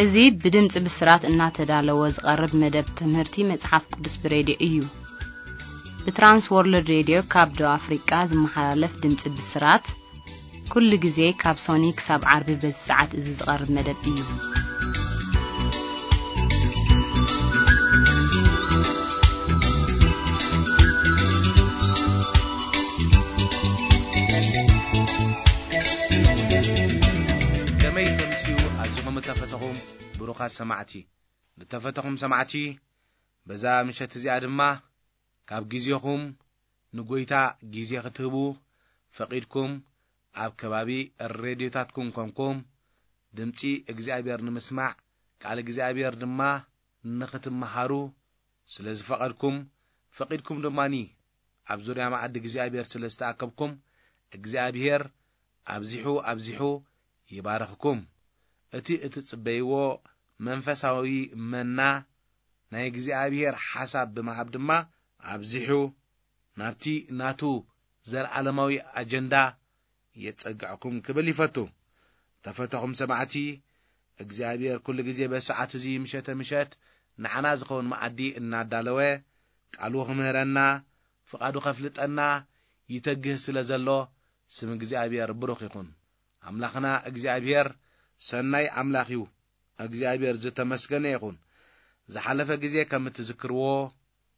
እዚ ብድምፂ ብስራት እናተዳለወ ዝቐርብ መደብ ትምህርቲ መጽሓፍ ቅዱስ ብሬድዮ እዩ። ብትራንስ ወርልድ ሬድዮ ካብ ደቡብ ኣፍሪቃ ዝመሓላለፍ ድምፂ ብስራት፣ ኩሉ ግዜ ካብ ሶኒ ክሳብ ዓርቢ በዚ ሰዓት እዚ ዝቐርብ መደብ እዩ። ከመይ ተምስዩ ኣዚኹም እተፈተኹም ብሩኻት ሰማዕቲ። ዝተፈተኹም ሰማዕቲ፣ በዛ ምሸት እዚኣ ድማ ካብ ግዜኹም ንጎይታ ግዜ ክትህቡ ፈቒድኩም፣ ኣብ ከባቢ ሬድዮታትኩም ኮንኩም ድምጺ እግዚኣብሔር ንምስማዕ፣ ቃል እግዚኣብሔር ድማ ንኽትመሃሩ ስለ ዝፈቐድኩም፣ ፈቒድኩም ድማኒ ኣብ ዙርያ መኣዲ እግዚኣብሔር ስለ ዝተኣከብኩም፣ እግዚኣብሔር ኣብዚሑ ኣብዚሑ ይባርኽኩም። እቲ እትጽበይዎ መንፈሳዊ መና ናይ እግዚኣብሔር ሓሳብ ብምሃብ ድማ ኣብዚሑ ናብቲ ናቱ ዘለዓለማዊ ኣጀንዳ የጸግዕኩም ክብል ይፈቱ። ተፈተኹም ሰማዕቲ፣ እግዚኣብሔር ኩሉ ግዜ በሰዓት እዚ ምሸተ ምሸት ንዓና ዝኸውን መኣዲ እናዳለወ ቃሉ ክምህረና፣ ፍቓዱ ከፍልጠና ይተግህ ስለ ዘሎ ስም እግዚኣብሔር ብሩኽ ይኹን። ኣምላኽና እግዚኣብሔር ሰናይ ኣምላኽ እዩ። እግዚኣብሔር ዝተመስገነ ይኹን። ዝሓለፈ ግዜ ከም እትዝክርዎ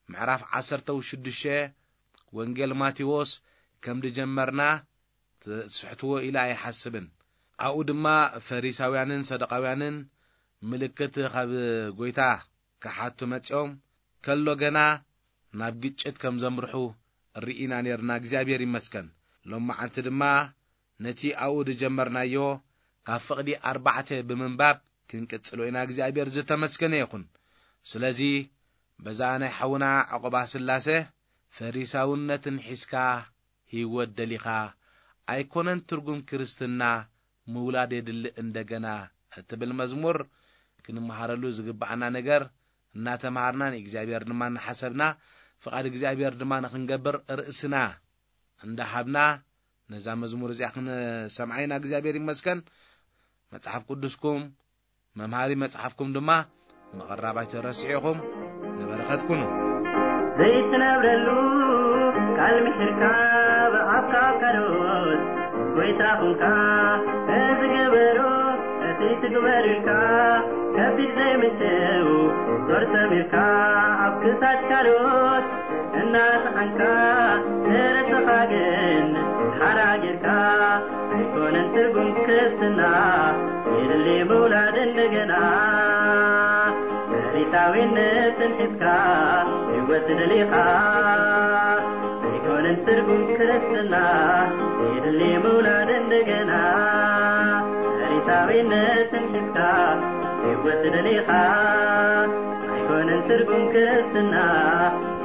ምዕራፍ ዓሰርተ ሽዱሽተ ወንጌል ማቴዎስ ከም ድጀመርና ትስሕትዎ ኢለ ኣይሓስብን። ኣብኡ ድማ ፈሪሳውያንን ሰዱቃውያንን ምልክት ካብ ጎይታ ክሓቱ መጺኦም ከሎ ገና ናብ ግጭት ከም ዘምርሑ ርኢና ኔርና። እግዚኣብሔር ይመስገን። ሎም መዓልቲ ድማ ነቲ ኣብኡ ዝጀመርናዮ ካብ ፍቕዲ ኣርባዕተ ብምንባብ ክንቅጽሎ ኢና። እግዚኣብሔር ዝተመስገነ ይኹን። ስለዚ በዛ ናይ ሓውና ዕቑባ ስላሴ ፈሪሳውነትን ሒዝካ ህይወት ደሊኻ ኣይኮነን ትርጉም ክርስትና ምውላድ የድሊ እንደገና እትብል መዝሙር ክንመሃረሉ ዝግብኣና ነገር እናተምሃርና ንእግዚኣብሔር ድማ እናሓሰብና ፍቓድ እግዚኣብሔር ድማ ንኽንገብር ርእስና እንዳሃብና ነዛ መዝሙር እዚኣ ክንሰምዓ ኢና። እግዚኣብሔር ይመስገን። መጽሓፍ ቅዱስኩም መምሃሪ መጽሓፍኩም ድማ ምቕራብ ኣይትረስዑ ኢኹም። ንበረኸት ኩኑ። ዘይትነብረሉ ቃል ምሒርካ ብኣፍካ ካልኦት ጎይታ ኹንካ። እዚ ግበሮ እቲ ትግበር ኢልካ ከቢድ ዘይምችው ዞር ሰሚርካ ኣብ ክሳድ ካልኦት እናሰሓንካ ንርእስኻ ግን ሓራ ጌርካ ኣይኮነን ትርጉም ክርስትና የድሊ ምውላድ እንደገና። ፈሪሳዊነትን ሒዝካ ህይወት ደሊኻ ኣይኮነን ትርጉም ክርስትና የድሊ ምውላድ እንደገና። ፈሪሳዊነትን ሒዝካ ህይወት ደሊኻ ኣይኮነን ትርጉም ክርስትና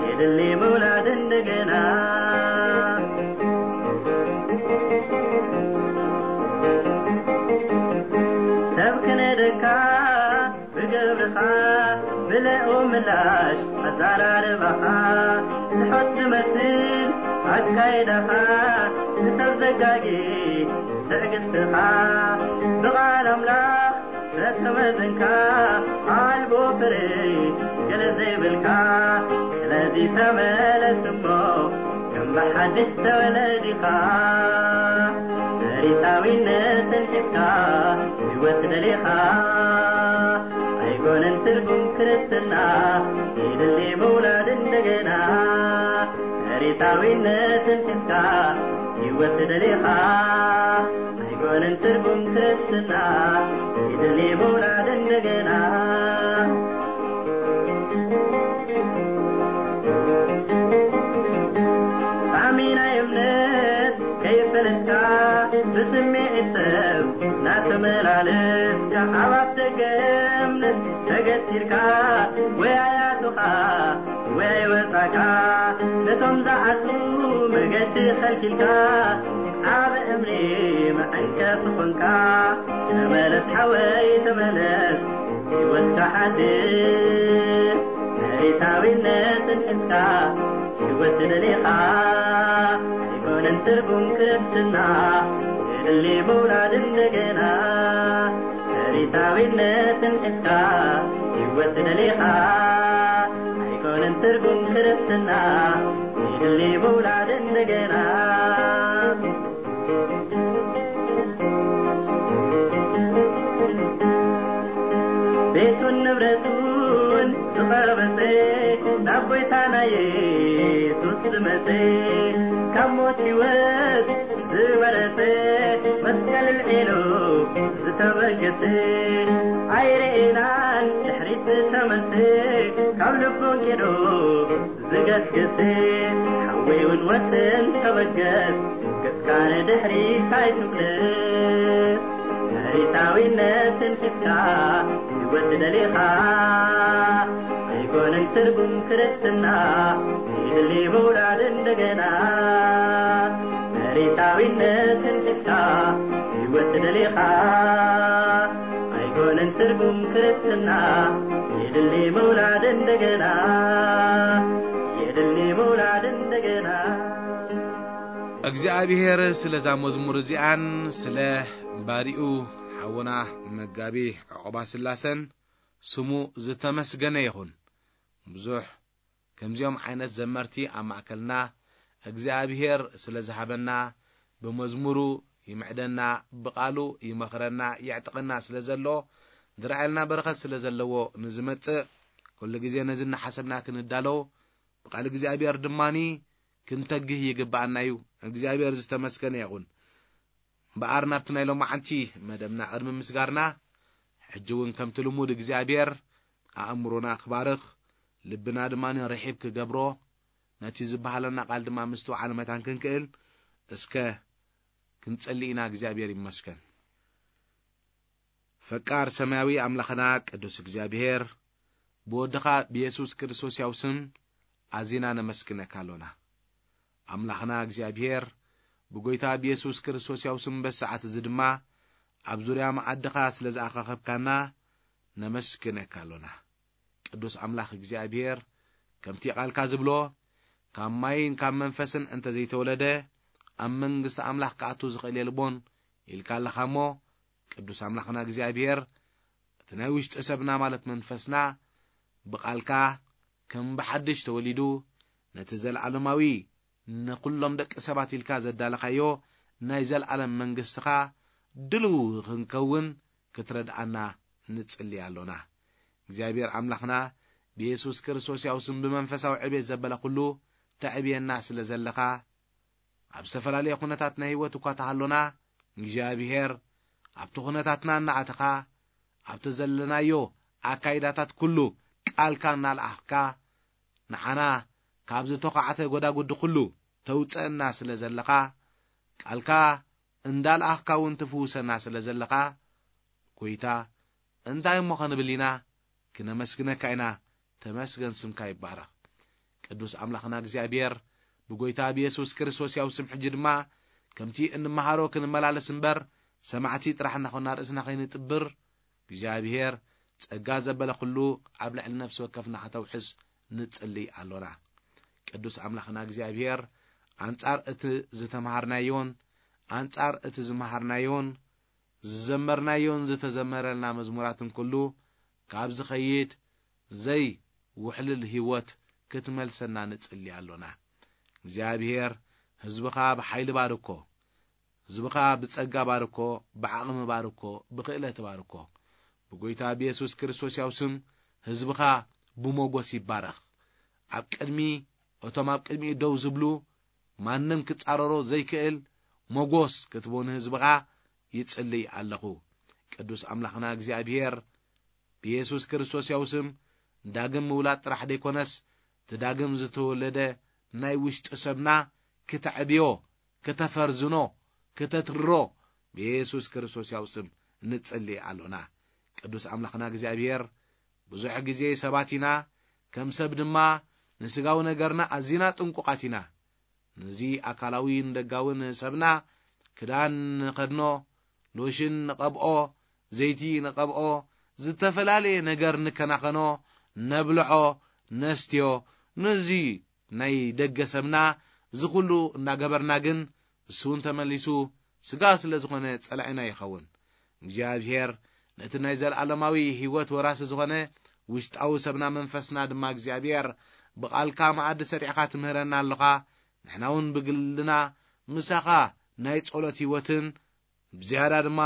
የድሊ ምውላድ እንደገና። ሰብ ክነደካ ብግብርኻ ብልኡ ምላሽ ኣዛራርባኻ ትሑት ዝመስል ኣካይዳኻ ንሰብ ዘጋጊ ትዕግስትኻ ብቓል ኣምላኽ ዘተመዘንካ ኣልቦ ፍሬ ገለ ዘይብልካ። ስለዚ ተመለስ እሞ ከም ብሓድሽ ተወለዲኻ። ፈሪሳዊነትን ሒዝካ ህይወት ደሊኻ ኣይኮነን ትርጉም ክርስትና የድሊ ምውላድ እንደገና። ፈሪሳዊነትን ሒዝካ ህይወት ደሊኻ ኣይኮነን ትርጉም ክርስትና የድሊ ምውላድ እንደገና። ጣዕሚ ናይ እምነት ከይፈለጥካ ብስምዒት ሰብ እናተመላለስካ ኣብ ኣፍ ደገ እምነት ተገቲርካ ወይ ኣያቱኻ ወይ ኣይወጻካ ነቶም ዝዓጹ መገዲ ከልኪልካ ኣብ እምኒ መዐንቀፊ ኾንካ። ተመለስ ሓወይ ተመለስ ህይወትካ ሓድስ። ፈሪሳዊነትን ሒዝካ ህይወት ደሊኻ ኣይኮነን ትርጉም ክርስትና የድሊ ምውላድ እንደገና። ቤታዊነትን ሒዝካ ህይወት ደሊኻ ኣይኮነን ትርጉም ክርስትና፣ ይድሊ ምውላድ እንደገና። ቤቱን ንብረቱን ዝቐበጸ፣ ናብ ጎይታ ናይ የሱስ ዝመጸ፣ ካብ ሞት ህይወት ዝወረሰ፣ መስቀል ልዒሉ ዝተበገሰ፣ ኣይርኤናን ድሕሪት ዝተመልሰ፣ ካብ ልቡ ወንጌሉ ዝገስግስ፣ ሓወይ እውን ወስን ተበገስ፣ ገጽካ ንድሕሪት ኣይትምለስ። መሪታዊነትን ሒዝካ ህይወት ደሊኻ ኣይኮነን ትርጉም ክርስትና፣ ይድሊ ምውላድ እንደገና። መሪታዊነትን ሒዝካ ህይወት ደሊኻ ኣይኮነን ትርጉም ክርስትና፣ የድሊ ምውላድ እንደገና፣ የድሊ ምውላድ እንደገና። እግዚኣብሔር ስለዛ መዝሙር እዚኣን ስለ ባሪኡ ሓውና መጋቢ ዕቑባ ስላሰን ስሙ ዝተመስገነ ይኹን። ብዙሕ ከምዚኦም ዓይነት ዘመርቲ ኣብ ማእከልና እግዚኣብሔር ስለ ዝሃበና፣ ብመዝሙሩ ይምዕደና፣ ብቓሉ ይመኽረና፣ የዕጥቐና ስለ ዘሎ፣ ዝረኣየልና በረኸት ስለ ዘለዎ ንዝመጽእ፣ ኩሉ ግዜ ነዚ እናሓሰብና ክንዳሎ፣ ብቓል እግዚኣብሔር ድማኒ ክንተግህ ይግብኣና እዩ። እግዚኣብሔር ዝተመስገነ ይኹን። እምበኣር ናብቲ ናይ ሎማዓንቲ መደብና ቅድሚ ምስጋርና፣ ሕጂ እውን ከምቲ ልሙድ እግዚኣብሔር ኣእምሮና ክባርኽ፣ ልብና ድማ ርሒብ ክገብሮ፣ ነቲ ዝበሃለና ቃል ድማ ምስትውዓል መታን ክንክእል፣ እስከ ክንጸሊ ኢና። እግዚኣብሔር ይመስገን። ፈቃር ሰማያዊ ኣምላኽና ቅዱስ እግዚኣብሔር፣ ብወድኻ ብየሱስ ክርስቶስ ያው ስም ኣዚና ነመስግነካ ኣሎና። ኣምላኽና እግዚኣብሔር፣ ብጎይታ ብየሱስ ክርስቶስ ያው ስም በሰዓት እዚ ድማ ኣብ ዙርያ መኣድኻ ስለ ዝኣኻኸብካና ነመስግነካ ኣሎና። ቅዱስ ኣምላኽ እግዚኣብሔር፣ ከምቲ ቃልካ ዝብሎ፣ ካብ ማይን ካብ መንፈስን እንተ ዘይተወለደ ኣብ መንግስቲ ኣምላኽ ክኣቱ ዝኽእል የልቦን ኢልካ ኣለኻ እሞ፣ ቅዱስ ኣምላኽና እግዚኣብሔር፣ እቲ ናይ ውሽጢ ሰብና ማለት መንፈስና ብቓልካ ከም ብሓድሽ ተወሊዱ፣ ነቲ ዘለዓለማዊ ንኹሎም ደቂ ሰባት ኢልካ ዘዳለኻዮ ናይ ዘለዓለም መንግስትኻ ድልው ክንከውን ክትረድኣና ንጽሊ ኣሎና። እግዚኣብሔር ኣምላኽና ብየሱስ ክርስቶስ ያው ስም ብመንፈሳዊ ዕቤት ዘበለ ኩሉ ተዕብየና ስለ ዘለኻ፣ ኣብ ዝተፈላለየ ኩነታት ናይ ህይወት እኳ ተሃሎና፣ እግዚኣብሔር ኣብቲ ኩነታትና እናኣተኻ፣ ኣብቲ ዘለናዮ ኣካይዳታት ኩሉ ቃልካ እናለኣኽካ፣ ንዓና ካብ ዝተዃዕተ ጎዳጉዲ ኩሉ ተውፀአና ስለ ዘለኻ፣ ቃልካ እንዳለኣኽካ እውን ትፍውሰና ስለ ዘለኻ፣ ጎይታ እንታይ እሞ ኸንብል ኢና? ክነመስግነካ ኢና። ተመስገን ስምካ ይባረኽ። ቅዱስ ኣምላኽና እግዚኣብሔር፣ ብጎይታ ብየሱስ ክርስቶስ ያው ስም ሕጂ ድማ ከምቲ እንመሃሮ ክንመላለስ እምበር፣ ሰማዕቲ ጥራሕ እናኾንና ርእስና ኸይንጥብር፣ እግዚኣብሔር ጸጋ ዘበለ ኹሉ ኣብ ልዕሊ ነፍሲ ወከፍና ከተውሕስ ንጽሊ ኣሎና። ቅዱስ ኣምላኽና እግዚኣብሔር፣ ኣንጻር እቲ ዝተምሃርናዮን ኣንጻር እቲ ዝመሃርናዮን ዝዘመርናዮን ዝተዘመረልና መዝሙራትን ኩሉ ካብ ዝኸይድ ዘይውሕልል ህይወት ክትመልሰና ንጽሊ ኣሎና። እግዚኣብሔር፣ ህዝብኻ ብሓይሊ ባርኮ፣ ህዝብኻ ብጸጋ ባርኮ፣ ብዓቕሚ ባርኮ፣ ብኽእለት ባርኮ። ብጎይታ ብየሱስ ክርስቶስ ያው ስም ህዝብኻ ብሞጎስ ይባረኽ። ኣብ ቅድሚ እቶም ኣብ ቅድሚኡ ደው ዝብሉ ማንም ክጻረሮ ዘይክእል ሞጎስ ክትቦ ንህዝብኻ ይጽልይ ኣለኹ። ቅዱስ ኣምላኽና እግዚኣብሔር ብየሱስ ክርስቶስ ያው ስም ዳግም ምውላድ ጥራሕ ደይኮነስ፣ እቲ ዳግም ዝተወለደ ናይ ውሽጢ ሰብና ክተዕብዮ፣ ክተፈርዝኖ፣ ክተትርሮ ብየሱስ ክርስቶስ ያው ስም ንጽሊ ኣሎና። ቅዱስ ኣምላኽና እግዚኣብሔር፣ ብዙሕ ግዜ ሰባት ኢና፣ ከም ሰብ ድማ ንስጋዊ ነገርና ኣዚና ጥንቁቓት ኢና። ነዚ ኣካላዊን ደጋውን ሰብና ክዳን ንኸድኖ፣ ሎሽን ንቐብኦ፣ ዘይቲ ንቐብኦ፣ ዝተፈላለየ ነገር ንከናኸኖ፣ ነብልዖ፣ ነስትዮ። ነዚ ናይ ደገ ሰብና እዚ ኩሉ እናገበርና ግን፣ እሱ እውን ተመሊሱ ስጋ ስለ ዝኾነ ጸላኢና ይኸውን። እግዚኣብሔር ነቲ ናይ ዘለኣለማዊ ህይወት ወራሲ ዝኾነ ውሽጣዊ ሰብና መንፈስና ድማ እግዚኣብሔር ብቓልካ መኣዲ ሰሪዕኻ ትምህረና ኣለኻ። ንሕና እውን ብግልና ምሳኻ ናይ ጸሎት ህይወትን ብዝያዳ ድማ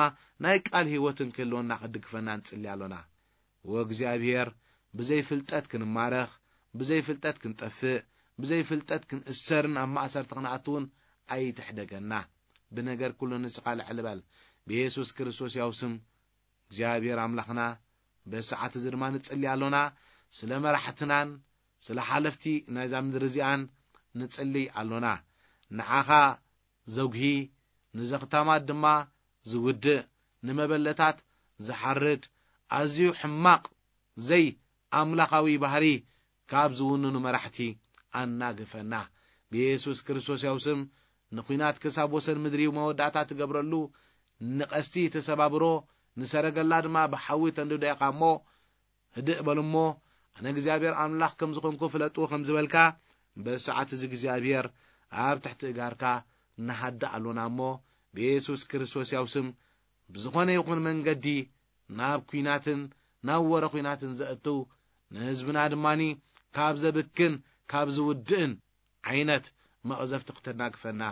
ናይ ቃል ህይወትን ክህልወና ክድግፈና ንጽሊ ኣሎና። ወእግዚኣብሔር፣ ብዘይ ፍልጠት ክንማረኽ፣ ብዘይ ፍልጠት ክንጠፍእ፣ ብዘይ ፍልጠት ክንእሰርን ኣብ ማእሰርቲ ክንኣትውን ኣይትሕደገና። ብነገር ኩሉ ንስኻ ልዕል በል። ብየሱስ ክርስቶስ ያው ስም እግዚኣብሔር ኣምላኽና፣ በሰዓት እዚ ድማ ንጽሊ ኣሎና። ስለ መራሕትናን ስለ ሓለፍቲ ናይዛ ምድሪ እዚኣን ንጽሊ ኣሎና። ንዓኻ ዘጉሂ፣ ንዘኽታማት ድማ ዝውድእ፣ ንመበለታት ዝሓርድ፣ ኣዝዩ ሕማቕ፣ ዘይ ኣምላኻዊ ባህሪ ካብ ዝውንኑ መራሕቲ ኣናግፈና። ብየሱስ ክርስቶስ ያው ስም ንኲናት ክሳብ ወሰን ምድሪ መወዳእታ ትገብረሉ፣ ንቐስቲ ተሰባብሮ፣ ንሰረገላ ድማ ብሓዊ ተንድዶ ኢኻ እሞ፣ ህድእ በሉ እሞ፣ ኣነ እግዚኣብሔር ኣምላኽ ከም ዝኾንኩ ፍለጡ ከም ዝበልካ፣ በሰዓት እዚ እግዚኣብሔር ኣብ ትሕቲ እጋርካ ንሃድእ ኣሎና እሞ፣ ብየሱስ ክርስቶስ ያው ስም ብዝኾነ ይኹን መንገዲ ናብ ኲናትን ናብ ወረ ኲናትን ዘእትው፣ ንህዝብና ድማኒ ካብ ዘብክን ካብ ዝውድእን ዓይነት መቕዘፍቲ ክተናግፈና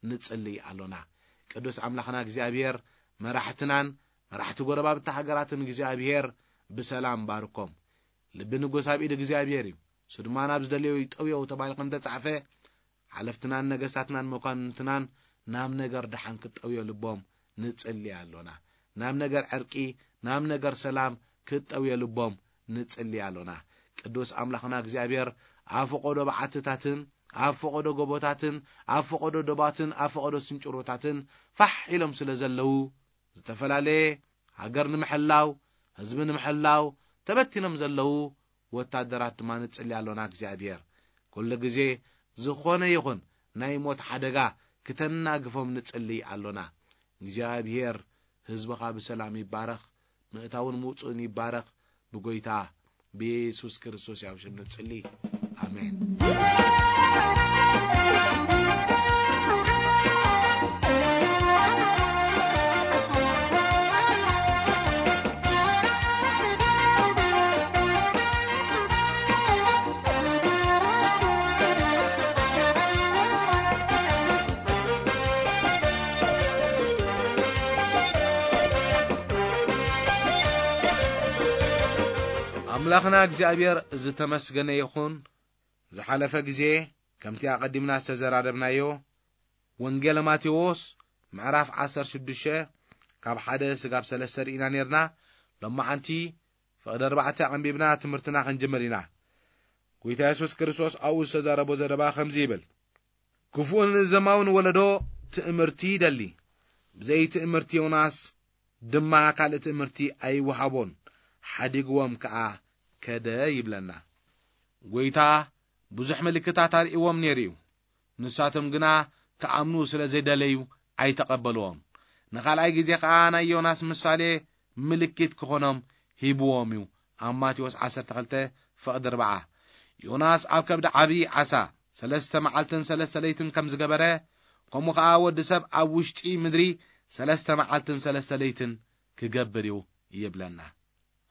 ንጽሊ ኣሎና። ቅዱስ ኣምላኽና እግዚኣብሔር መራሕትናን መራሕቲ ጎረባብቲ ሃገራትን እግዚኣብሔር ብሰላም ባርኮም። ልቢ ንጉስ ኣብ ኢድ እግዚኣብሔር እዩ፣ እሱ ድማ ናብ ዝደለዮ ይጠውዮ ተባሂሉ ከም ተጻሕፈ፣ ሓለፍትናን ነገስታትናን መኳንንትናን ናብ ነገር ደሓን ክጠውዮ ልቦም ንጽሊ ኣሎና። ናብ ነገር ዕርቂ፣ ናብ ነገር ሰላም ክጠውዮ ልቦም ንጽሊ ኣሎና። ቅዱስ ኣምላኽና እግዚኣብሔር ኣብ ፈቐዶ በዓትታትን ኣብ ፈቐዶ ጎቦታትን ኣብ ፈቐዶ ዶባትን ኣብ ፈቐዶ ስንጭሮታትን ፋሕ ኢሎም ስለ ዘለዉ፣ ዝተፈላለየ ሃገር ንምሕላው፣ ህዝቢ ንምሕላው ተበቲኖም ዘለዉ ወታደራት ድማ ንጽሊ ኣሎና። እግዚኣብሔር ኩሉ ግዜ ዝኾነ ይኹን ናይ ሞት ሓደጋ ክተናግፎም ንጽሊ ኣሎና። እግዚኣብሔር ህዝብኻ ብሰላም ይባረኽ፣ ምእታውን ምውጽኡን ይባረኽ። ብጎይታ ብየሱስ ክርስቶስ ያው ሽም ንጽሊ። ኣሜን። ኣምላኽና እግዚኣብሔር ዝተመስገነ ይኹን። ዝሓለፈ ግዜ ከምቲ ኣቐዲምና ዝተዘራረብናዮ፣ ወንጌል ማቴዎስ ምዕራፍ ዓሰርተ ሽዱሽተ ካብ ሓደ ስጋብ ሰለስተ ርኢና ነርና። ሎማዓንቲ ፍቕዲ ኣርባዕተ ኣቐንቢብና ትምህርትና ክንጅምር ኢና። ጎይታ የሱስ ክርስቶስ ኣብኡ ዝተዛረቦ ዘረባ ከምዚ ይብል፣ ክፉእን ዘማውን ወለዶ ትእምርቲ ይደሊ፣ ብዘይ ትእምርቲ ዮናስ ድማ ካልእ ትእምርቲ ኣይወሃቦን፣ ሓዲግዎም ከኣ ከደ ይብለና። ጎይታ ብዙሕ ምልክታት ኣርእይዎም ነይሩ እዩ። ንሳቶም ግና ክኣምኑ ስለ ዘይደለዩ ኣይተቐበልዎም። ንኻልኣይ ግዜ ኸኣ ናይ ዮናስ ምሳሌ ምልክት ክኾኖም ሂብዎም እዩ። ኣብ ማቴዎስ ዓሰርተ ክልተ ፍቕዲ ኣርባዓ። ዮናስ ኣብ ከብዲ ዓብዪ ዓሳ ሰለስተ መዓልትን ሰለስተ ለይትን ከም ዝገበረ፣ ከምኡ ኸኣ ወዲ ሰብ ኣብ ውሽጢ ምድሪ ሰለስተ መዓልትን ሰለስተ ለይትን ክገብር እዩ ይብለና።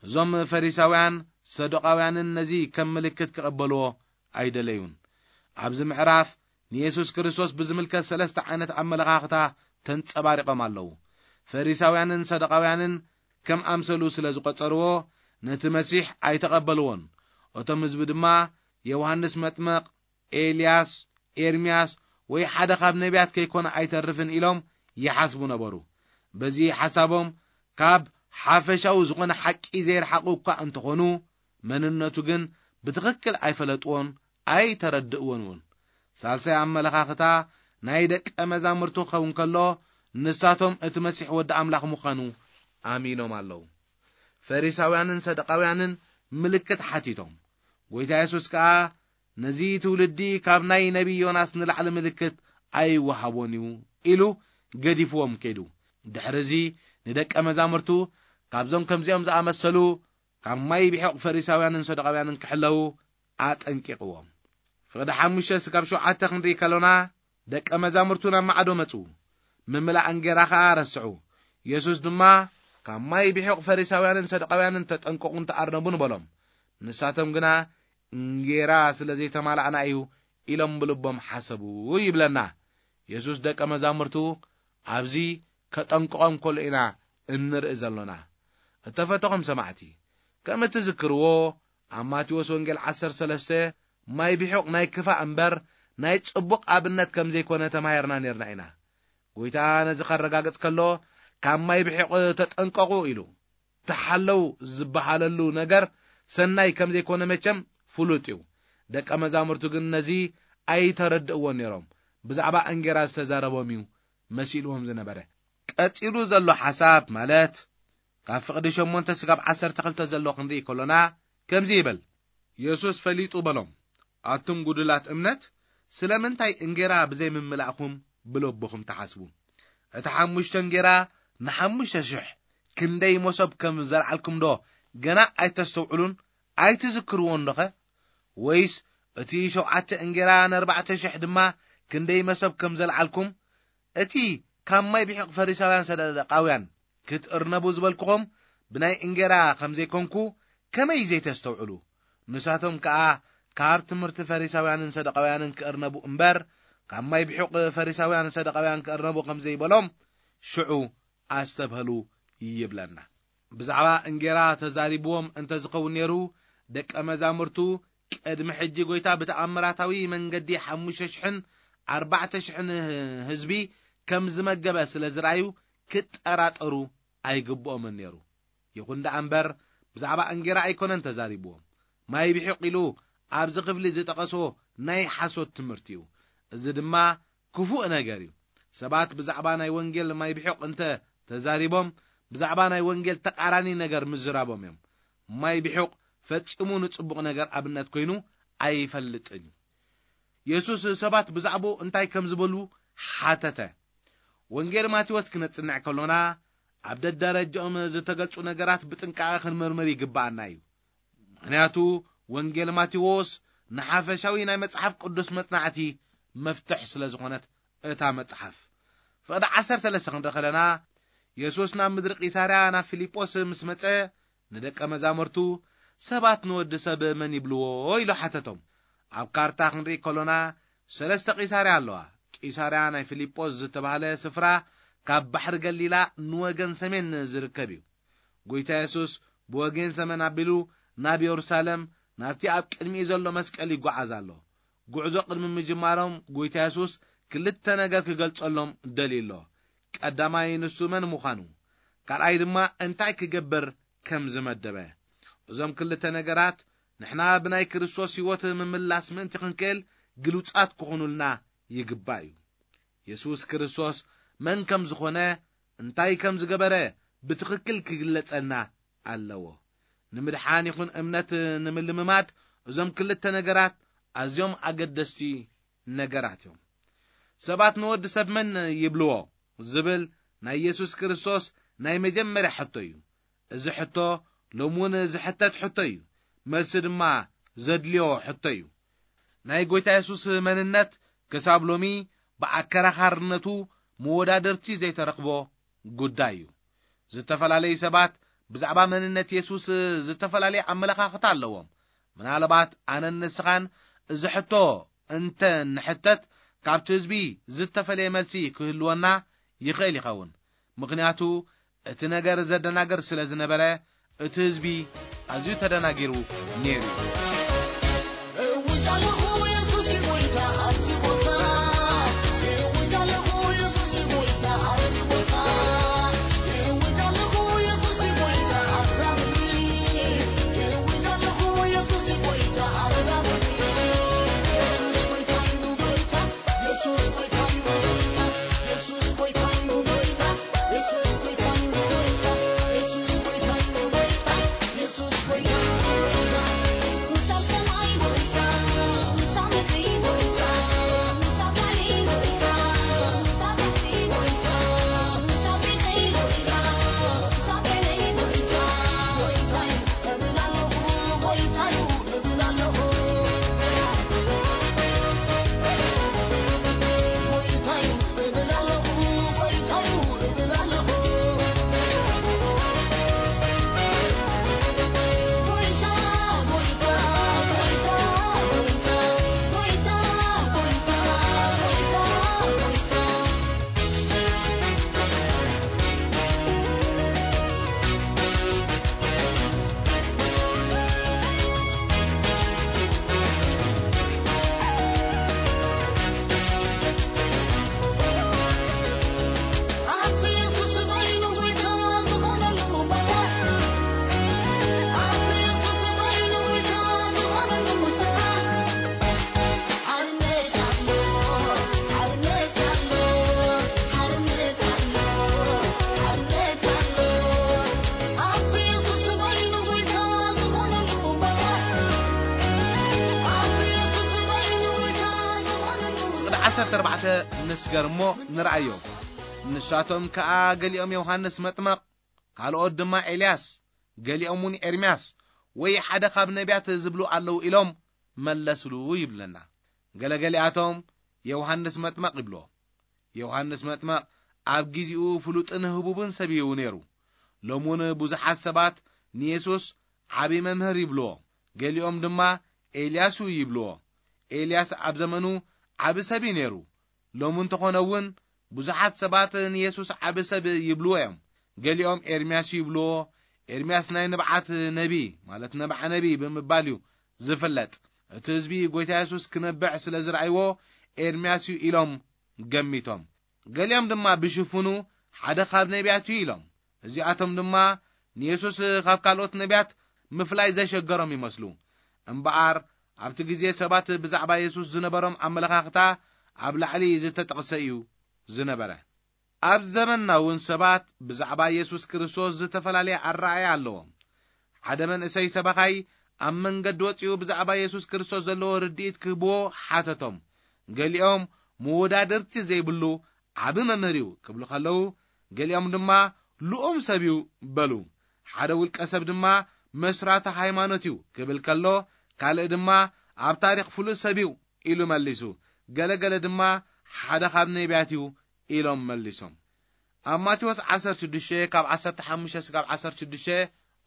እዞም ፈሪሳውያን ሰዱቃውያንን ነዚ ከም ምልክት ክቕበልዎ ኣይደለዩን። ኣብዚ ምዕራፍ ንየሱስ ክርስቶስ ብዝምልከት ሰለስተ ዓይነት ኣመለኻኽታ ተንጸባሪቖም ኣለዉ። ፈሪሳውያንን ሰዱቃውያንን ከም ኣምሰሉ ስለ ዝቖጸርዎ፣ ነቲ መሲሕ ኣይተቐበልዎን። እቶም ህዝቢ ድማ፣ ዮሃንስ መጥመቕ፣ ኤልያስ፣ ኤርምያስ ወይ ሓደ ካብ ነቢያት ከይኮነ ኣይተርፍን ኢሎም ይሓስቡ ነበሩ። በዚ ሓሳቦም ካብ ሓፈሻዊ ዝኾነ ሓቂ ዘይረሓቑ እኳ እንተኾኑ፣ መንነቱ ግን ብትኽክል ኣይፈለጥዎን ኣይተረድእዎን እውን። ሳልሳይ ኣመለኻኽታ ናይ ደቀ መዛሙርቱ ክኸውን ከሎ፣ ንሳቶም እቲ መሲሕ ወዲ ኣምላኽ ምዃኑ ኣሚኖም ኣለዉ። ፈሪሳውያንን ሰዱቃውያንን ምልክት ሓቲቶም። ጎይታ የሱስ ከኣ፣ ነዚ ትውልዲ ካብ ናይ ነቢይ ዮናስ ንላዕሊ ምልክት ኣይወሃቦን እዩ ኢሉ ገዲፍዎም ከይዱ። ድሕሪ እዚ ንደቀ መዛሙርቱ ካብዞም ከምዚኦም ዝኣመሰሉ ካብ ማይ ብሒቕ ፈሪሳውያንን ሰዱቃውያንን ክሕለዉ ኣጠንቂቕዎም። ፍቕዲ ሓሙሽተ ስጋብ ሸውዓተ ክንርኢ ከሎና፣ ደቀ መዛሙርቱ ናብ ማዕዶ መጹ፣ ምምላእ እንጌራ ኸኣ ረስዑ። የሱስ ድማ፣ ካብ ማይ ብሒቕ ፈሪሳውያንን ሰዱቃውያንን ተጠንቀቑን ተኣርነቡን በሎም። ንሳቶም ግና፣ እንጌራ ስለ ዘይተማላእና እዩ ኢሎም ብልቦም ሓሰቡ ይብለና። የሱስ ደቀ መዛሙርቱ ኣብዚ ከጠንቅቖም ከሎ ኢና እንርኢ ዘሎና። እተፈተኹም ሰማዕቲ፣ ከም እትዝክርዎ፣ ኣብ ማቴዎስ ወንጌል ዓሰርተ ሰለስተ ማይ ብሒቕ ናይ ክፋእ እምበር ናይ ጽቡቕ ኣብነት ከም ዘይኮነ ተማሂርና ነርና ኢና። ጎይታ ነዚ ከረጋግጽ ከሎ፣ ካብ ማይ ብሒቕ ተጠንቀቑ ኢሉ። ተሓለው ዝበሃለሉ ነገር ሰናይ ከም ዘይኮነ መቸም ፍሉጥ እዩ። ደቀ መዛሙርቱ ግን ነዚ ኣይተረድእዎን ነይሮም። ብዛዕባ እንጌራ ዝተዛረቦም እዩ መሲልዎም ዝነበረ። ቀጺሉ ዘሎ ሓሳብ ማለት ካብ ፍቕዲ ሸሞንተ ስጋብ ዓሰርተ ክልተ ዘሎ ክንርኢ ከሎና ከምዚ ይብል። የሱስ ፈሊጡ በሎም፣ ኣቱም ጉዱላት እምነት፣ ስለምንታይ እንጌራ ብዘይምምላእኹም ብልብኹም ትሓስቡ? እቲ ሓሙሽተ እንጌራ ንሓሙሽተ ሽሕ ክንደይ መሶብ ከም ዘልዓልኩምዶ ገና ኣይተስተውዕሉን ኣይትዝክርዎን ዶኸ? ወይስ እቲ ሸውዓተ እንጌራ ንኣርባዕተ ሽሕ ድማ ክንደይ መሶብ ከም ዘልዓልኩም? እቲ ካብ ማይ ብሒቕ ፈሪሳውያን ሰደቃውያን ክትእርነቡ ዝበልኩኹም ብናይ እንጌራ ከም ዘይኮንኩ ከመይ ዘይተስተውዕሉ? ንሳቶም ከኣ ካብ ትምህርቲ ፈሪሳውያንን ሰደቃውያንን ክእርነቡ እምበር፣ ካብ ማይ ብሒቕ ፈሪሳውያን ሰደቃውያን ክእርነቡ ከም ዘይበሎም ሽዑ ኣስተብህሉ ይብለና። ብዛዕባ እንጌራ ተዛሪብዎም እንተ ዝኸውን ነይሩ፣ ደቀ መዛሙርቱ ቅድሚ ሕጂ ጎይታ ብተኣምራታዊ መንገዲ ሓሙሽተ ሽሕን ኣርባዕተ ሽሕን ህዝቢ ከም ዝመገበ ስለ ዝረኣዩ ክጠራጠሩ ኣይግብኦምን ነይሩ። ይኹን ደኣ እምበር፣ ብዛዕባ እንጌራ ኣይኮነን ተዛሪብዎም። ማይ ብሒቕ ኢሉ ኣብዚ ክፍሊ ዝጠቐሶ ናይ ሓሶት ትምህርቲ እዩ። እዚ ድማ ክፉእ ነገር እዩ። ሰባት ብዛዕባ ናይ ወንጌል ማይ ብሒቕ እንተ ተዛሪቦም፣ ብዛዕባ ናይ ወንጌል ተቓራኒ ነገር ምዝራቦም እዮም። ማይ ብሒቕ ፈጺሙ ንጽቡቕ ነገር ኣብነት ኮይኑ ኣይፈልጥን እዩ። የሱስ ሰባት ብዛዕባኡ እንታይ ከም ዝበሉ ሓተተ። ወንጌል ማቴዎስ ክነጽንዕ ከሎና፣ ኣብ ደደረጃኦም ዝተገልጹ ነገራት ብጥንቃቐ ክንምርምር ይግብኣና እዩ። ምኽንያቱ፣ ወንጌል ማቴዎስ ንሓፈሻዊ ናይ መጽሓፍ ቅዱስ መጽናዕቲ መፍትሕ ስለ ዝኾነት እታ መጽሓፍ። ፍቕዲ ዓሰርተ ሰለስተ ክንርኢ ከለና፣ የሱስ ናብ ምድሪ ቂሳርያ ናብ ፊልጶስ ምስ መጸ፣ ንደቀ መዛሙርቱ፣ ሰባት ንወዲ ሰብ መን ይብልዎ? ኢሉ ሓተቶም። ኣብ ካርታ ክንርኢ ከሎና፣ ሰለስተ ቂሳርያ ኣለዋ። ቂሳርያ ናይ ፊልጶስ ዝተባህለ ስፍራ ካብ ባሕሪ ገሊላ ንወገን ሰሜን ዝርከብ እዩ። ጎይታ የሱስ ብወገን ሰሜን ኣቢሉ ናብ የሩሳሌም፣ ናብቲ ኣብ ቅድሚኡ ዘሎ መስቀል ይጓዓዝ ኣሎ። ጉዕዞ ቅድሚ ምጅማሮም፣ ጎይታ የሱስ ክልተ ነገር ክገልጸሎም ደልዩ ኣሎ። ቀዳማይ፣ ንሱ መን ምዃኑ፣ ካልኣይ ድማ እንታይ ክገብር ከም ዝመደበ። እዞም ክልተ ነገራት ንሕና ብናይ ክርስቶስ ህይወት ምምላስ ምእንቲ ክንክእል ግሉጻት ክኾኑልና ይግባእ እዩ። የሱስ ክርስቶስ መን ከም ዝኾነ፣ እንታይ ከም ዝገበረ ብትኽክል ክግለጸልና ኣለዎ። ንምድሓን ይኹን እምነት ንምልምማድ እዞም ክልተ ነገራት ኣዝዮም ኣገደስቲ ነገራት እዮም። ሰባት ንወዲ ሰብ መን ይብልዎ ዝብል ናይ የሱስ ክርስቶስ ናይ መጀመርያ ሕቶ እዩ። እዚ ሕቶ ሎም እውን ዝሕተት ሕቶ እዩ። መልሲ ድማ ዘድልዮ ሕቶ እዩ። ናይ ጎይታ የሱስ መንነት ክሳብ ሎሚ ብኣከራኻርነቱ መወዳድርቲ ዘይተረኽቦ ጉዳይ እዩ። ዝተፈላለዩ ሰባት ብዛዕባ መንነት የሱስ ዝተፈላለየ ኣመለኻኽታ ኣለዎም። ምናልባት ኣነን ንስኻን እዚ ሕቶ እንተ ንሕተት፣ ካብቲ ህዝቢ ዝተፈለየ መልሲ ክህልወና ይኽእል ይኸውን። ምኽንያቱ፣ እቲ ነገር ዘደናግር ስለ ዝነበረ፣ እቲ ህዝቢ ኣዝዩ ተደናጊሩ ነይሩ እዩ። እውጅ ኣለኹ፣ የሱስ እዩ ጎይታ ኣብዚ ቦታ። እውጅ ኣለኹ፣ የሱስ እዩ ጎይታ ኣብዚ ቦታ። እውጅ ኣለኹ፣ የሱስ እዩ ጎይታ ኣብዛ ምድሪ። እውጅ ኣለኹ፣ የሱስ እዩ ጎይታ ኣብዛ ምድሪ። የሱስ ጎይታ እዩ፣ ጎይታ። የሱስ ጎይታ እዩ፣ ጎይታ። የሱስ ጎይታ እዩ፣ ጎይታ። የሱስ ጎይታ እዩ፣ ጎይታ። የሱስ ጎይታ እዩ፣ ጎይታ። የሱስ ጎይታ እዩ፣ ጎይታ። ንሳብ ሰማይ ጎይታ፣ ንሳብ ምድሪ ጎይታ። ኣርባዕተ ንስገር እሞ ንርኣዮ። ንሳቶም ከኣ ገሊኦም ዮሃንስ መጥመቕ፣ ካልኦት ድማ ኤልያስ፣ ገሊኦም እውን ኤርምያስ ወይ ሓደ ካብ ነቢያት ዝብሉ ኣለዉ ኢሎም መለስሉ ይብለና። ገለገሊኣቶም ዮሃንስ መጥመቕ ይብልዎ። ዮሃንስ መጥመቕ ኣብ ግዜኡ ፍሉጥን ህቡብን ሰብ እዩ ነይሩ። ሎሚ እውን ብዙሓት ሰባት ንየሱስ ዓቢ መምህር ይብልዎ። ገሊኦም ድማ ኤልያስ እዩ ይብልዎ። ኤልያስ ኣብ ዘመኑ ዓቢ ሰብ እዩ ነይሩ። ሎሚ እንተኾነ እውን ብዙሓት ሰባት ንየሱስ ዓቢ ሰብ ይብልዎ እዮም። ገሊኦም ኤርምያስ ይብልዎ። ኤርምያስ ናይ ንብዓት ነቢ፣ ማለት ነብዓ ነቢ ብምባል እዩ ዝፍለጥ። እቲ ህዝቢ ጎይታ የሱስ ክነብዕ ስለ ዝረኣይዎ ኤርምያስ እዩ ኢሎም ገሚቶም። ገሊኦም ድማ ብሽፍኑ ሓደ ካብ ነቢያት እዩ ኢሎም። እዚኣቶም ድማ ንየሱስ ካብ ካልኦት ነቢያት ምፍላይ ዘሸገሮም ይመስሉ። እምበኣር ኣብቲ ግዜ ሰባት ብዛዕባ የሱስ ዝነበሮም ኣመለኻኽታ ኣብ ላዕሊ ዝተጠቕሰ እዩ ዝነበረ። ኣብ ዘመንና እውን ሰባት ብዛዕባ የሱስ ክርስቶስ ዝተፈላለየ ኣረኣእያ ኣለዎም። ሓደ መንእሰይ ሰባኻይ ኣብ መንገዲ ወጺኡ ብዛዕባ የሱስ ክርስቶስ ዘለዎ ርድኢት ክህብዎ ሓተቶም። ገሊኦም መወዳድርቲ ዘይብሉ ዓቢ መምህር እዩ ክብሉ ከለዉ፣ ገሊኦም ድማ ልኡም ሰብ እዩ በሉ። ሓደ ውልቀ ሰብ ድማ መስራቲ ሃይማኖት እዩ ክብል ከሎ፣ ካልእ ድማ ኣብ ታሪኽ ፍሉጥ ሰብ እዩ ኢሉ መሊሱ። ገለገለ ድማ ሓደ ካብ ነቢያት እዩ ኢሎም መሊሶም። ኣብ ማቴዎስ ዓሰርተ ሽዱሽተ ካብ ዓሰርተ ሓሙሽተ እስካብ ዓሰርተ ሽዱሽተ፣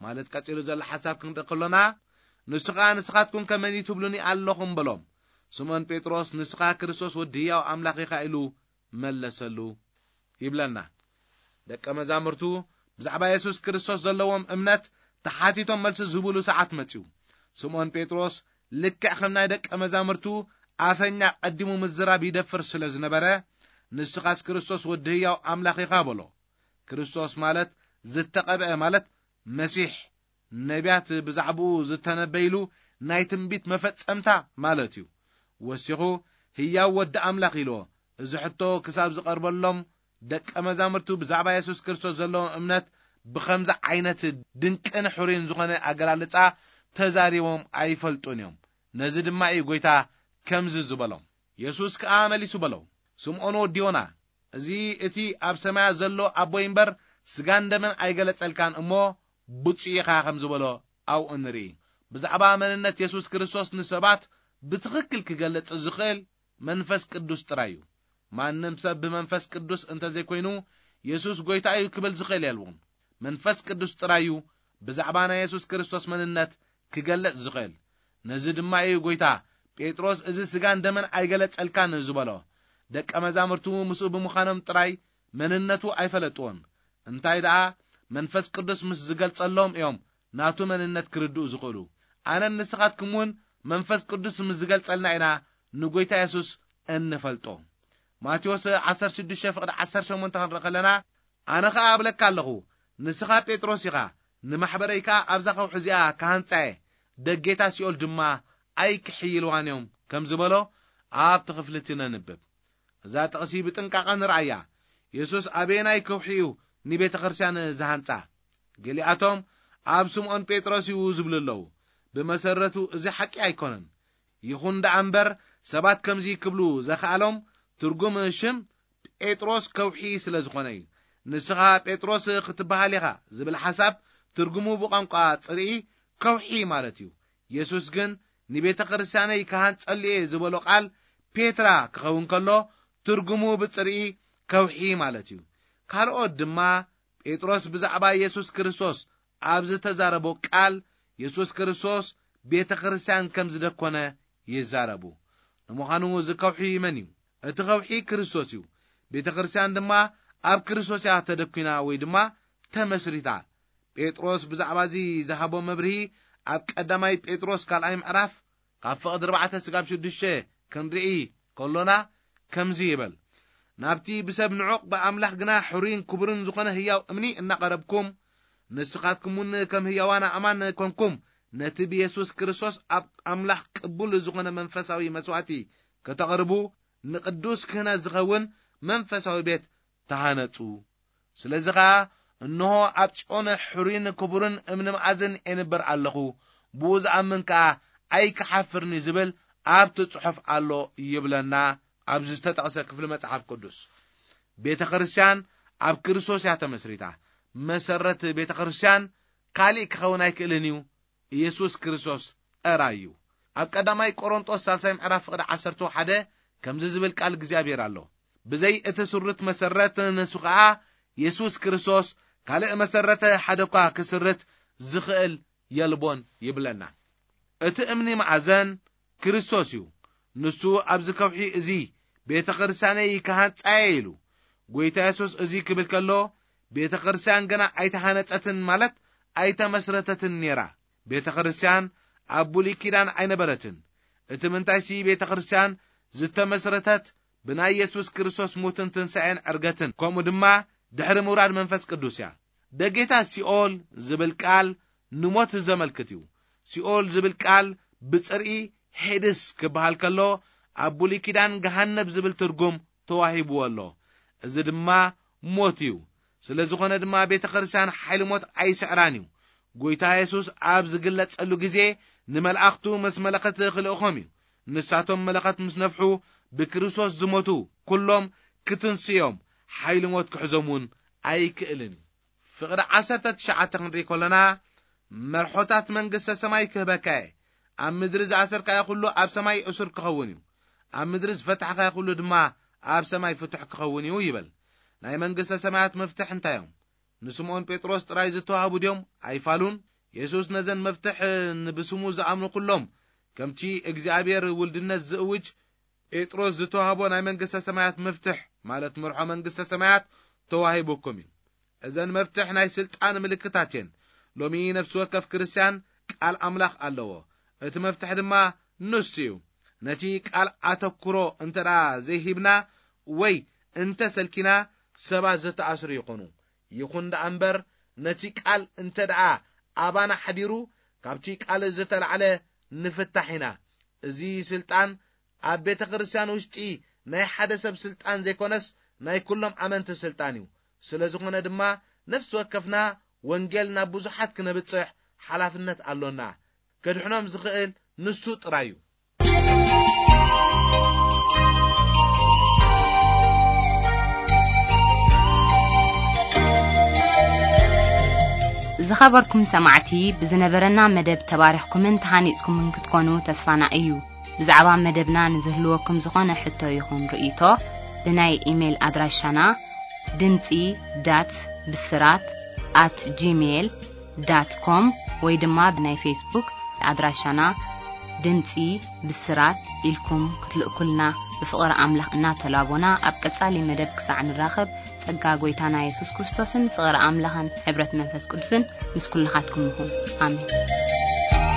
ማለት ቀጺሉ ዘሎ ሓሳብ ክንርኢ ከሎና፣ ንሱ ኸኣ ንስኻትኩም ከ መን እዩ ትብሉኒ ኣለኹም በሎም። ስምዖን ጴጥሮስ ንስኻ ክርስቶስ ወዲ ህያው ኣምላኽ ኢኻ ኢሉ መለሰሉ ይብለና። ደቀ መዛሙርቱ ብዛዕባ የሱስ ክርስቶስ ዘለዎም እምነት ተሓቲቶም መልሲ ዝህቡሉ ሰዓት መጺኡ። ስምዖን ጴጥሮስ ልክዕ ከም ናይ ደቀ መዛሙርቱ ኣፈኛ ቀዲሙ ምዝራብ ይደፍር ስለ ዝነበረ፣ ንስኻስ ክርስቶስ ወዲ ህያው ኣምላኽ ኢኻ በሎ። ክርስቶስ ማለት ዝተቐብአ ማለት መሲሕ፣ ነቢያት ብዛዕባኡ ዝተነበይሉ ናይ ትንቢት መፈጸምታ ማለት እዩ። ወሲኹ ህያው ወዲ ኣምላኽ ኢልዎ። እዚ ሕቶ ክሳብ ዝቐርበሎም ደቀ መዛሙርቱ ብዛዕባ የሱስ ክርስቶስ ዘለዎም እምነት ብኸምዚ ዓይነት ድንቅን ሕሩይን ዝኾነ ኣገላልጻ ተዛሪቦም ኣይፈልጡን እዮም። ነዚ ድማ እዩ ጎይታ ከምዚ ዝበሎም። የሱስ ከኣ መሊሱ በሎ፣ ስምዖን ወዲ ዮና፣ እዚ እቲ ኣብ ሰማያት ዘሎ ኣቦይ እምበር ስጋን ደምን ኣይገለጸልካን እሞ ብፁዕ ኢኻ ከም ዝበሎ ኣብኡ ንርኢ። ብዛዕባ መንነት የሱስ ክርስቶስ ንሰባት ብትኽክል ክገልጽ ዝኽእል መንፈስ ቅዱስ ጥራይ እዩ። ማንም ሰብ ብመንፈስ ቅዱስ እንተዘይኮይኑ የሱስ ጎይታ እዩ ክብል ዝኽእል የልቦን። መንፈስ ቅዱስ ጥራይ እዩ ብዛዕባ ናይ የሱስ ክርስቶስ መንነት ክገልጽ ዝኽእል። ነዚ ድማ እዩ ጎይታ ጴጥሮስ እዚ ስጋን ደምን ኣይገለጸልካን ዝበሎ። ደቀ መዛሙርቱ ምስኡ ብምዃኖም ጥራይ መንነቱ ኣይፈለጥዎን። እንታይ ደኣ መንፈስ ቅዱስ ምስ ዝገልጸሎም እዮም ናቱ መንነት ክርድኡ ዝኽእሉ። ኣነን ንስኻትኩም እውን መንፈስ ቅዱስ ምስ ዝገልጸልና ኢና ንጎይታ የሱስ እንፈልጦ። ማቴዎስ ዓሰርተ ሽዱሽተ ፍቕዲ ዓሰርተ ሸሞንተ ክንርኢ ከለና፣ ኣነ ኸኣ እብለካ ኣለኹ፣ ንስኻ ጴጥሮስ ኢኻ፣ ንማሕበረይ ከኣ ኣብዛ ከውሒ እዚኣ ክሃንጻ እየ፣ ደጌታ ሲኦል ድማ ኣይክሕይልዋን እዮም ከም ዝበሎ ኣብቲ ክፍሊ እቲ ነንብብ። እዛ ጥቕሲ ብጥንቃቐ ንርኣያ። የሱስ ኣበየናይ ከውሒ እዩ ንቤተ ክርስቲያን ዝሃንጻ? ገሊኣቶም ኣብ ስምዖን ጴጥሮስ እዩ ዝብሉ ኣለዉ። ብመሰረቱ እዚ ሓቂ ኣይኮነን። ይኹን ደኣ እምበር ሰባት ከምዚ ክብሉ ዘኽኣሎም ትርጉም ሽም ጴጥሮስ ከውሒ ስለ ዝኾነ እዩ። ንስኻ ጴጥሮስ ክትበሃል ኢኻ ዝብል ሓሳብ ትርጉሙ ብቋንቋ ጽርኢ ከውሒ ማለት እዩ። የሱስ ግን ንቤተ ክርስቲያነይ ክሃንጸሉ እየ ዝበሎ ቃል ፔትራ ክኸውን ከሎ ትርጉሙ ብጽርኢ ከውሒ ማለት እዩ። ካልኦት ድማ ጴጥሮስ ብዛዕባ የሱስ ክርስቶስ ኣብ ዝተዛረቦ ቃል የሱስ ክርስቶስ ቤተ ክርስቲያን ከም ዝደኮነ ይዛረቡ። ንምዃኑ እዚ ከውሒ መን እዩ? እቲ ከውሒ ክርስቶስ እዩ። ቤተ ክርስቲያን ድማ ኣብ ክርስቶስ እያ ተደኲና ወይ ድማ ተመስሪታ። ጴጥሮስ ብዛዕባ እዚ ዝሃቦ መብርሂ ኣብ ቀዳማይ ጴጥሮስ ካልኣይ ምዕራፍ ካብ ፍቕዲ ኣርባዕተ ስጋብ ሽዱሽተ ክንርኢ ከሎና ከምዚ ይብል፣ ናብቲ ብሰብ ንዑቕ ብኣምላኽ ግና ሕሩይን ክቡርን ዝኾነ ህያው እምኒ እናቐረብኩም፣ ንስኻትኩም እውን ከም ህያዋን ኣእማን ኮንኩም፣ ነቲ ብየሱስ ክርስቶስ ኣብ ኣምላኽ ቅቡል ዝኾነ መንፈሳዊ መስዋእቲ ከተቕርቡ፣ ንቅዱስ ክህነት ዝኸውን መንፈሳዊ ቤት ተሃነጹ። ስለዚ ኸኣ እንሆ ኣብ ጽዮን ሕሩይን ክቡርን እምኒ መኣዝን ኤንብር ኣለኹ፣ ብኡ ዝኣምን ከኣ ኣይክሓፍርኒ ዝብል ኣብቲ ጽሑፍ ኣሎ ይብለና ኣብዚ ዝተጠቕሰ ክፍሊ መጽሓፍ ቅዱስ። ቤተ ክርስቲያን ኣብ ክርስቶስ እያ ተመስሪታ። መሰረት ቤተ ክርስቲያን ካሊእ ክኸውን ኣይክእልን እዩ፣ ኢየሱስ ክርስቶስ ጥራይ እዩ። ኣብ ቀዳማይ ቆሮንጦስ ሳልሳይ ምዕራፍ ፍቕዲ ዓሰርተ ሓደ ከምዚ ዝብል ቃል እግዚኣብሔር ኣሎ። ብዘይ እቲ ስሩት መሰረት ንሱ ኸኣ የሱስ ክርስቶስ ካልእ መሰረት ሓደ እኳ ክስርት ዝኽእል የልቦን ይብለና። እቲ እምኒ መኣዘን ክርስቶስ እዩ። ንሱ ኣብዚ ከውሒ እዚ ቤተ ክርስቲያነይ ክሃንጻየ ኢሉ። ጎይታ የሱስ እዚ ክብል ከሎ ቤተ ክርስቲያን ገና ኣይተሃነጸትን ማለት ኣይተመስረተትን ነይራ። ቤተ ክርስቲያን ኣብ ብሉይ ኪዳን ኣይነበረትን። እቲ ምንታይሲ ቤተ ክርስቲያን ዝተመስረተት ብናይ የሱስ ክርስቶስ ሞትን ትንሳኤን ዕርገትን ከምኡ ድማ ድሕሪ ምውራድ መንፈስ ቅዱስ እያ። ደጌታት ሲኦል ዝብል ቃል ንሞት ዘመልክት እዩ። ሲኦል ዝብል ቃል ብጽርኢ ሄድስ ክበሃል ከሎ ኣብ ብሉይ ኪዳን ገሃነብ ዝብል ትርጉም ተዋሂብዎ ኣሎ። እዚ ድማ ሞት እዩ። ስለ ዝኾነ ድማ ቤተ ክርስቲያን ሓይሊ ሞት ኣይስዕራን እዩ። ጎይታ የሱስ ኣብ ዝግለጸሉ ግዜ ንመላእኽቱ ምስ መለኸት ክልእኾም እዩ። ንሳቶም መለኸት ምስ ነፍሑ ብክርስቶስ ዝሞቱ ኩሎም ክትንስዮም ሓይሊ ሞት ክሕዞም እውን ኣይክእልን እዩ። ፍቕዲ ዓሰርተ ትሽዓተ ክንርኢ ከለና መርሖታት መንግስተ ሰማይ ክህበካ እየ። ኣብ ምድሪ ዝኣሰርካዮ ኩሉ ኣብ ሰማይ እሱር ክኸውን እዩ። ኣብ ምድሪ ዝፈታሕካዮ ኩሉ ድማ ኣብ ሰማይ ፍቱሕ ክኸውን እዩ ይብል። ናይ መንግስተ ሰማያት መፍትሕ እንታይ እዮም? ንስምዖን ጴጥሮስ ጥራይ ዝተዋህቡ ድዮም? ኣይፋሉን። የሱስ ነዘን መፍትሕ ንብስሙ ዝኣምኑ ኩሎም ከምቲ እግዚኣብሔር ውልድነት ዝእውጅ ጴጥሮስ ዝተዋህቦ ናይ መንግስተ ሰማያት መፍትሕ ማለት መርሖ መንግስተ ሰማያት ተዋሂቡኩም እዩ። እዘን መፍትሕ ናይ ስልጣን ምልክታት እየን። ሎሚ ነፍሲ ወከፍ ክርስቲያን ቃል ኣምላኽ ኣለዎ። እቲ መፍትሕ ድማ ንሱ እዩ። ነቲ ቃል ኣተኩሮ እንተ ደኣ ዘይሂብና ወይ እንተ ሰልኪና ሰባት ዝተኣስሩ ይኾኑ። ይኹን ደኣ እምበር ነቲ ቃል እንተ ደኣ ኣባና ሓዲሩ ካብቲ ቃል ዝተላዕለ ንፍታሕ ኢና። እዚ ስልጣን ኣብ ቤተ ክርስቲያን ውሽጢ ናይ ሓደ ሰብ ስልጣን ዘይኮነስ ናይ ኩሎም ኣመንቲ ስልጣን እዩ። ስለ ዝኾነ ድማ ነፍሲ ወከፍና ወንጌል ናብ ብዙሓት ክነብጽሕ ሓላፍነት ኣሎና። ከድሕኖም ዝኽእል ንሱ ጥራይ እዩ። ዝኸበርኩም ሰማዕቲ፣ ብዝነበረና መደብ ተባሪኽኩምን ተሃኒጽኩምን ክትኮኑ ተስፋና እዩ። ብዛዕባ መደብና ንዝህልወኩም ዝኾነ ሕቶ ይኹን ርእይቶ ብናይ ኢሜይል ኣድራሻና ድምጺ ዳት ብስራት ኣት ጂሜይል ዳት ኮም ወይ ድማ ብናይ ፌስቡክ ኣድራሻና ድምጺ ብስራት ኢልኩም ክትልእኩልና ብፍቕሪ ኣምላኽ እናተላቦና፣ ኣብ ቀጻሊ መደብ ክሳዕ ንራኸብ ጸጋ ጎይታና የሱስ ክርስቶስን ፍቕሪ ኣምላኽን ሕብረት መንፈስ ቅዱስን ምስ ኩልኻትኩም ይኹን። ኣሜን።